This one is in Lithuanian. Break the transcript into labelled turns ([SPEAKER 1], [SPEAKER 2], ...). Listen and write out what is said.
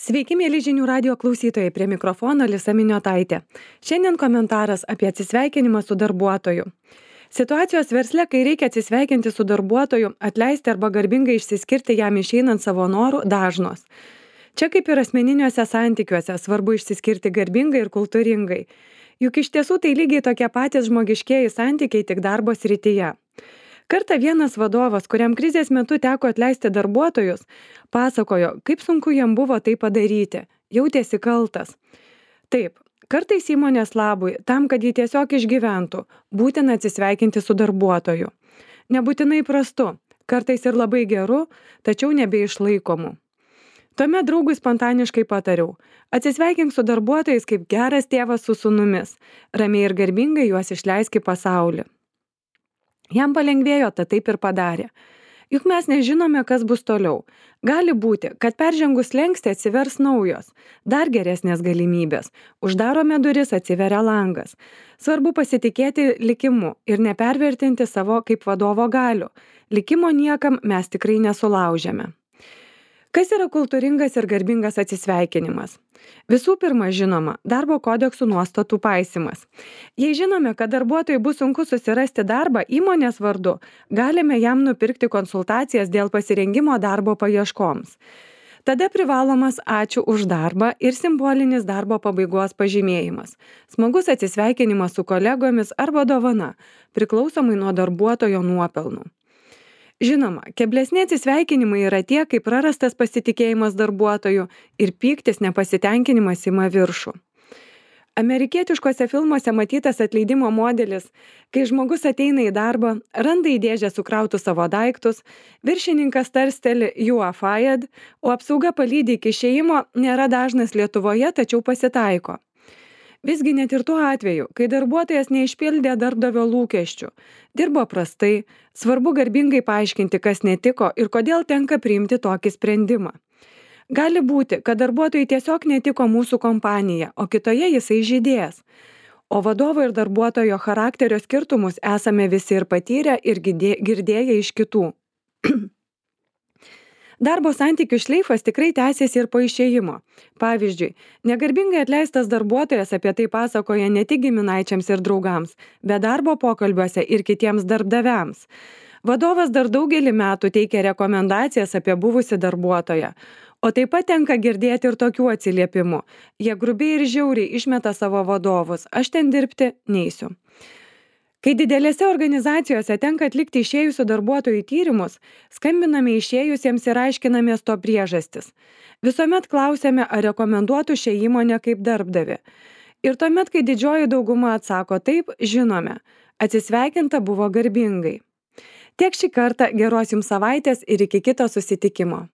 [SPEAKER 1] Sveiki, mėly žinių radio klausytojai, prie mikrofono Lisa Miniotaitė. Šiandien komentaras apie atsisveikinimą su darbuotoju. Situacijos versle, kai reikia atsisveikinti su darbuotoju, atleisti arba garbingai išsiskirti jam išeinant savo norų, dažnos. Čia kaip ir asmeniniuose santykiuose, svarbu išsiskirti garbingai ir kultūringai. Juk iš tiesų tai lygiai tokie patys žmogiškieji santykiai tik darbo srityje. Kartą vienas vadovas, kuriam krizės metu teko atleisti darbuotojus, pasakojo, kaip sunku jam buvo tai padaryti, jautėsi kaltas. Taip, kartais įmonės labui, tam, kad jį tiesiog išgyventų, būtina atsisveikinti su darbuotoju. Nebūtinai prastu, kartais ir labai geru, tačiau nebeišlaikomu. Tuomet draugui spontaniškai patariau, atsisveikink su darbuotojais kaip geras tėvas su sūnumis, ramiai ir garbingai juos išleisk į pasaulį. Jam palengvėjo, tad taip ir padarė. Juk mes nežinome, kas bus toliau. Gali būti, kad peržengus slenkstį atsivers naujos, dar geresnės galimybės. Uždarome duris, atsiveria langas. Svarbu pasitikėti likimu ir nepervertinti savo kaip vadovo galių. Likimo niekam mes tikrai nesulaužėme. Kas yra kultūringas ir garbingas atsisveikinimas? Visų pirma, žinoma, darbo kodeksų nuostatų paisymas. Jei žinome, kad darbuotojui bus sunku susirasti darbą įmonės vardu, galime jam nupirkti konsultacijas dėl pasirengimo darbo paieškoms. Tada privalomas ačiū už darbą ir simbolinis darbo pabaigos pažymėjimas. Smagus atsisveikinimas su kolegomis arba dovana, priklausomai nuo darbuotojo nuopelnų. Žinoma, keblesni atsisveikinimai yra tie, kai prarastas pasitikėjimas darbuotoju ir pyktis nepasitenkinimas ima viršų. Amerikietiškose filmuose matytas atleidimo modelis, kai žmogus ateina į darbą, randa į dėžę sukrautus savo daiktus, viršininkas tarsteli "you are fired", o apsauga palydi iki išėjimo, nėra dažnas Lietuvoje, tačiau pasitaiko. Visgi net ir tuo atveju, kai darbuotojas neišpildė darbdavio lūkesčių, dirbo prastai, svarbu garbingai paaiškinti, kas netiko ir kodėl tenka priimti tokį sprendimą. Gali būti, kad darbuotojai tiesiog netiko mūsų kompanija, o kitoje jisai žydės. O vadovo ir darbuotojo charakterio skirtumus esame visi ir patyrę ir girdėję iš kitų. Darbo santykių šleifas tikrai tęsiasi ir po išėjimo. Pavyzdžiui, negarbingai atleistas darbuotojas apie tai pasakoja ne tik giminaičiams ir draugams, bet darbo pokalbiuose ir kitiems darbdaviams. Vadovas dar daugelį metų teikia rekomendacijas apie buvusį darbuotoją. O taip pat tenka girdėti ir tokių atsiliepimų. Jie grubiai ir žiauriai išmeta savo vadovus. Aš ten dirbti neisiu. Kai didelėse organizacijose tenka atlikti išėjusių darbuotojų tyrimus, skambiname išėjusiems ir aiškinamės to priežastis. Visuomet klausiame, ar rekomenduotų šią įmonę kaip darbdavį. Ir tuomet, kai didžioji dauguma atsako taip, žinome, atsisveikinta buvo garbingai. Tiek šį kartą, geros jums savaitės ir iki kito susitikimo.